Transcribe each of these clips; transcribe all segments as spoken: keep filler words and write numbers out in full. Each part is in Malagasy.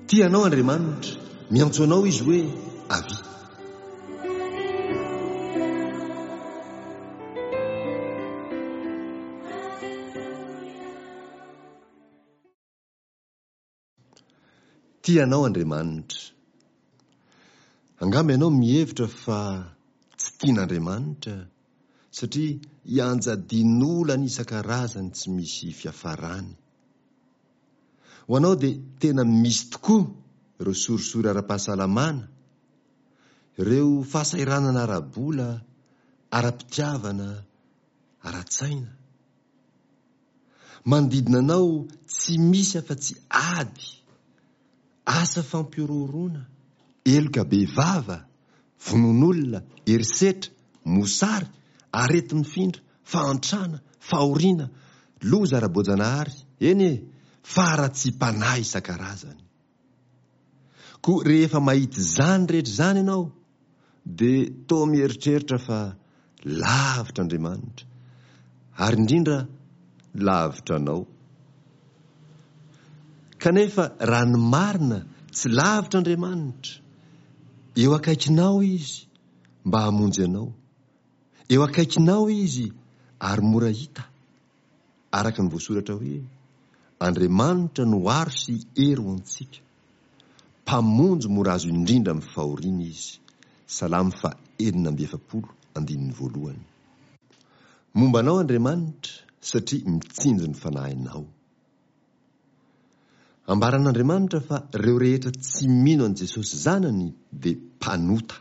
Tia anao Andriamanitra, miantso anao Izy hoe avia. Tia anao Andriamanitra. Angamba ianao mihevitra fa tsy tian'Andriamanitra satria ianjadian'olana isan-karazany tsy misy fiafarany. Ho anao dia tena misy tokoa ireo sorisory ara-pahasalamana, ireo fahasahiranana ara-bola, ara-pitiavana, ara-tsaina. Manodidina anao tsy misy afa-tsy ady, asa fampihorohoroana, heloka bevava, vonoan'olona, herisetra, mosary, areti-mifindra, fahantrana, fahoriana, loza ara-boajanahary, eny e, faharatsiam-panahy isan-karazany. Koa rehefa mahita izany rehetra izany ianao, dia toa mieritreritra fa lavitra Andriamanitra, ary indrindra lavitra anao. Kanefa raha ny marina, tsy lavitra Andriamanitra. Eo akaikinao Izy mba hamonjy anao. Eo akaikinao Izy ary mora hita. Araka ny voasoratra hoe, Andriamanitra no aro sy hery ho antsika. Mpamonjy mora azo indrindra amin'ny fahoriana Izy. Salamo faha enina amby efapolo, andininy voalohany. Momba anao Andriamanitra satria mitsinjo ny fanahinao. Ambaran'Andriamanitra fa ireo rehetra tsy mino an'i Jesosy Zanany dia mpanota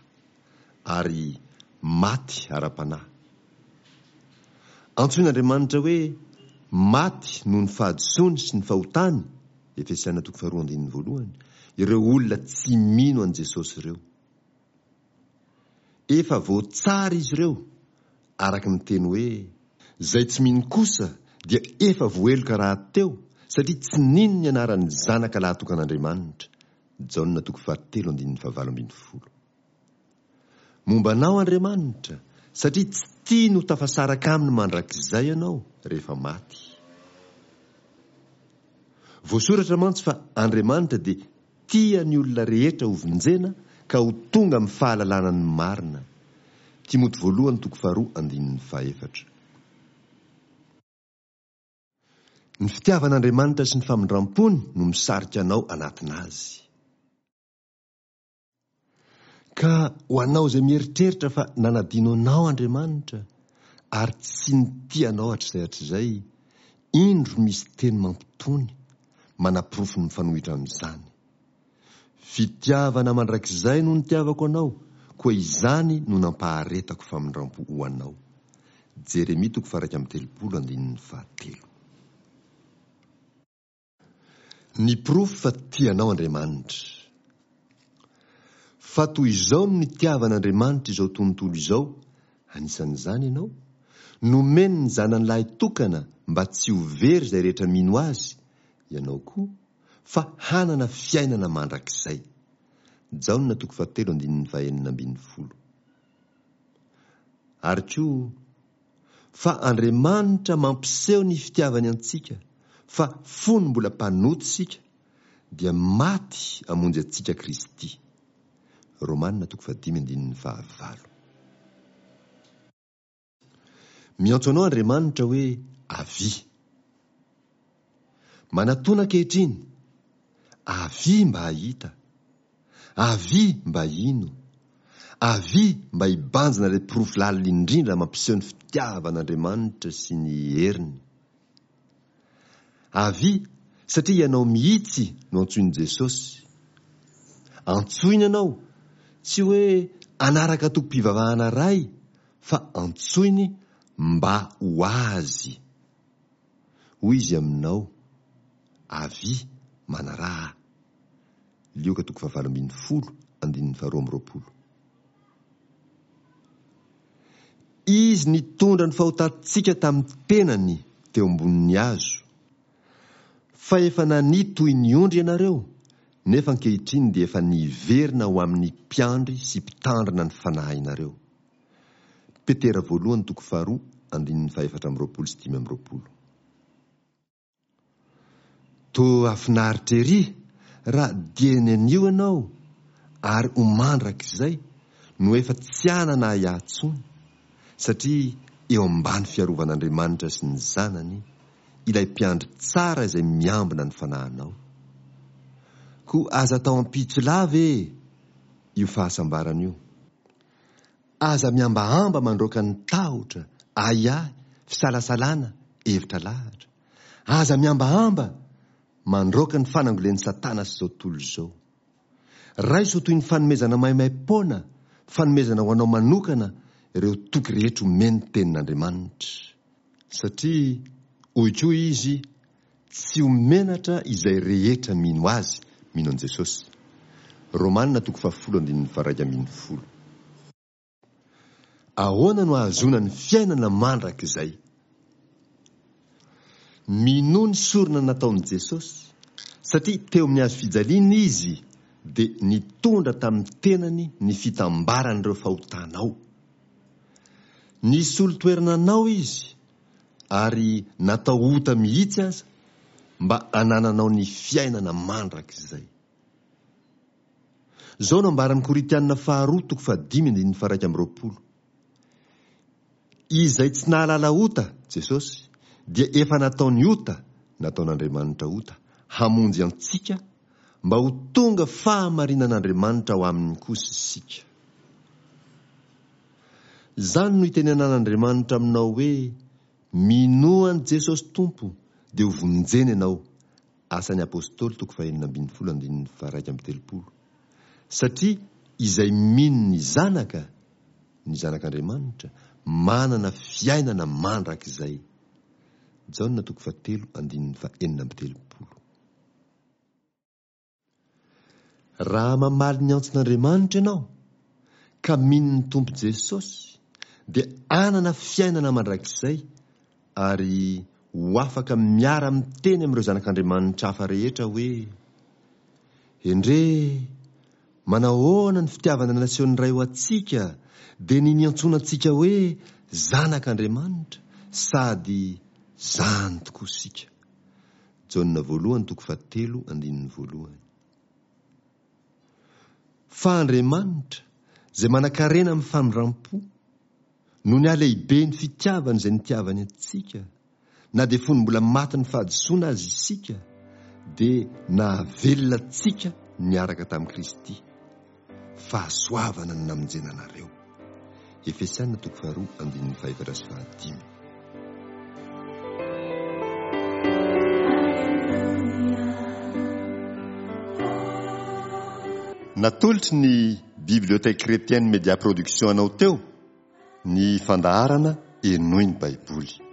ary maty ara-panahy. Antsoin'Andriamanitra hoe maty noho ny fahadisoany sy ny fahotany, Efesiana toko faharoa andininy voalohany, ireo olona tsy mino an'i Jesosy ireo. Efa voatsara izy ireo, araka ny teny hoe, Izay tsy mino kosa dia efa voaheloka rahateo satria tsy nino ny anaran'ny Zanaka lahatokan'Andriamanitra, Jaona toko fahatelo andininy fahavalo ambin'ny folo. Momba anao Andriamanitra satria tsy tiany ho tafasaraka aminy mandrakizay ianao rehefa maty. Voasoratra mantsy fa Andriamanitra dia tia ny olona rehetra hovonjena ka ho tonga amin'ny fahalalana ny marina. Timoty voalohany toko faharoa andininy fahefatra. Ny fitiavan'Andriamanitra sy ny famindrampony no misarika anao anatina Azy. Ka ho anao izay mieritreritra fa nanadino anao Andriamanitra ary tsy nitia anao hatrizay hatrizay, indro misy teny mampitony manaporofo ny mifanohitra amin'izany. Fitiavana mandrakizay no nitiavako anao, koa izany no nampaharetako famindrampo ho anao. Jeremia toko faha-iraika amby telopolo andininy fahatelo. Ny porofo fa tia anao Andriamanitra. Fa toy izao no nitiavan'Andriamanitra izao tontolo izao, anisan'izany ianao, nomeny ny Zanany lahy tokana mba tsy ho very izay rehetra mino Azy, ianao koa, fa hanana fiainana mandrakizay. Jaona toko fahatelo andininy fahenina ambin'ny folo. Ary koa, fa Andriamanitra mampiseho ny fitiavany antsika, fa fony mbola mpanota isika, dia maty hamonjy antsika Kristy. Romana toko fahadimy andininy fahavalo. Miantso anao Andriamanitra hoe avia. Manatona ankehitriny. Avia mba hahita. Avia mba hino. Avia mba hibanjina ilay porofo lalina indrindra mampiseho ny fitiavan'Andriamanitra sy ny heriny. Avia satria ianao mihitsy no antsoin'i Jesosy. Antsoiny ianao, tsy hoe hanaraka antokom-pivavahana iray fa antsoiny mba ho Azy. Hoy Izy aminao, Avia, manaraha Ahy. Lioka toko fahavalo ambin'ny folo, andininy faharoa amby roapolo. Izy nitondra ny fahotantsika tamin'ny tenany teo ambonin'ny hazo. Fa efa nania toy ny ondry ianareo, nefa ankehitriny dia efa niverina ho amin'ny mpiandry sy mpitandrina ny fanahinareo. Petera voalohany toko faharoa andininy fahefatra amby roapolo sy dimy amby roapolo. Toa hahafinaritra ery raha dieny anio ianao ary ho mandrakizay no efa tsy hanana ahiahy intsony, satria eo ambany fiarovan'Andriamanitra sy ny Zanany, ilay mpiandry tsara izay miambina ny fanahinao. Koa aza atao ampitso lava e io fahasambarana io. Aza mihambahamba mandroaka ny tahotra, ahiahy, fisalasalana, hevitra lahatra. Aza mihambahamba mandroaka ny fanangolen'i Satana sy izao tontolo izao. Raiso ho toy ny fanomezana maimaim-poana, fanomezana ho anao manokana ireo toky rehetra omen'ny Tenin'Andriamanitra. Satria, hoy koa Izy, tsy ho menatra izay rehetra mino Azy, mino an'i Jesosy. Romana toko fahafolo andininy faharaika ambin'ny folo. Ahoana no ahazoana ny fiainana mandrakizay? Minoa ny sorona nataon'i Jesosy, satria teo amin'ny hazo fijaliana Izy dia nitondra tamin'ny tenany ny fitambaran'ireo fahotanao. Nisolo toerana anao Izy ary natao ota mihitsy aza mba hanananao ny fiainana mandrakizay. Izao no ambaran'ny Korintiana faharoa toko fahadimy andininy faha-iraika amby roapolo. Izay tsy nahalala ota, Jesosy, dia efa nataony ota, nataon'Andriamanitra ota, hamonjy antsika mba ho tonga fahamarinan'Andriamanitra ao aminy kosa isika. Izany no itenenan'Andriamanitra aminao hoe, Minoa an'i Jesosy Tompo, dia ho vonjena ianao. Asan'ny Apostoly toko fahenina ambin'ny folo andininy faha-iraika amby telopolo. Satria izay mino ny Zanaka, ny Zanak'Andriamanitra, manana fiainana mandrakizay. Jaona toko fahatelo andininy fahenina amby telopolo. Raha mamaly ny antson'Andriamanitra ianao, ka mino ny Tompo Jesosy, dia hanana fiainana mandrakizay ary ho afaka miara-miteny amin'ireo zanak'Andriamanitra hafa rehetra hoe, Endrey, manahoana ny fitiavana nasehon'ny Ray ho antsika, dia ny niantsoana antsika hoe zanak'Andriamanitra, sady zany tokoa isika. Jaona voalohany toko fahatelo andininy voalohany. Fa Andriamanitra, izay manan-karena amin'ny famindram-po, noho ny halehiben'ny fitiavany izay nitiavany antsika, na dia fony mbola matin'ny fahadisoana aza isika, dia nahavelona antsika niaraka tamin'i Kristy. Fahasoavana no namonjena anareo. Efesiana toko faharoa andininy fahefatra sy fahadimy. Natolotry ny Bibliothèque Chrétienne Média Production anao teo ny fandaharana Henoy ny Baiboly.